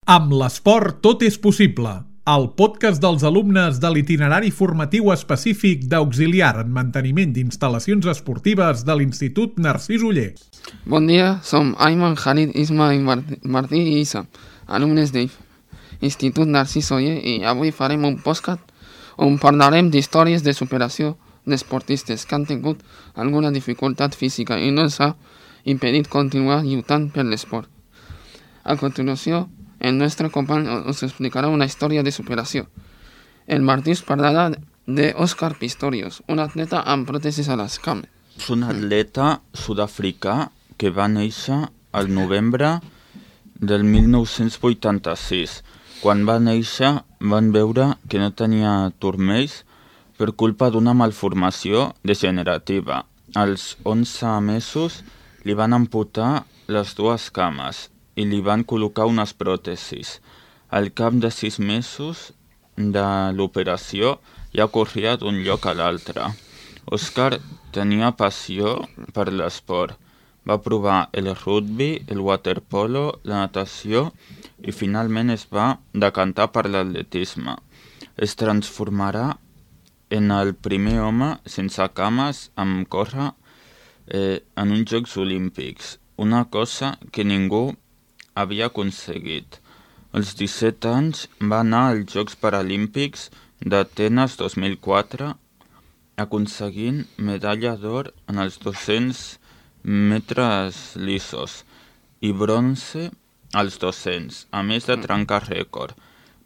Amb l'esport tot és possible. El podcast dels alumnes de l'itinerari formatiu específic d'auxiliar en manteniment d'instal·lacions esportives de l'Institut Narcís Oller. Bon dia, som Ayman, Khalid, Isma, Martí i Isa, alumnes de l'Institut Narcís Oller, i avui farem un podcast on parlarem d'històries de superació d'esportistes que han tingut alguna dificultat física i no els ha impedit continuar lluitant per l'esport. A continuació, el nostre company us explicarà una història de superació. El Martí us parlarà d'Òscar Pistorius, un atleta amb pròtesis a les cames. És un atleta sud-africà que va néixer al novembre del 1986. Quan va néixer van veure que no tenia turmells per culpa d'una malformació degenerativa. Als 11 mesos li van amputar les dues cames i li van col·locar unes pròtesis. Al cap de 6 mesos de l'operació ja corria d'un lloc a l'altre. Òscar tenia passió per l'esport. Va provar el rugby, el waterpolo, la natació i finalment es va decantar per l'atletisme. Es transformarà en el primer home sense cames amb córrer en uns Jocs Olímpics, una cosa que ningú havia aconseguit. Als 17 anys va anar als Jocs Paralímpics d'Atenes 2004, aconseguint medalla d'or en els 200 metres lisos i bronze als 200, a més de trencar rècord.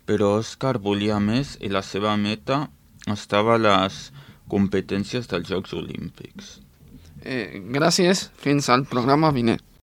Però Òscar volia més i la seva meta estava a les competències dels Jocs Olímpics. Gràcies, fins al programa vinent.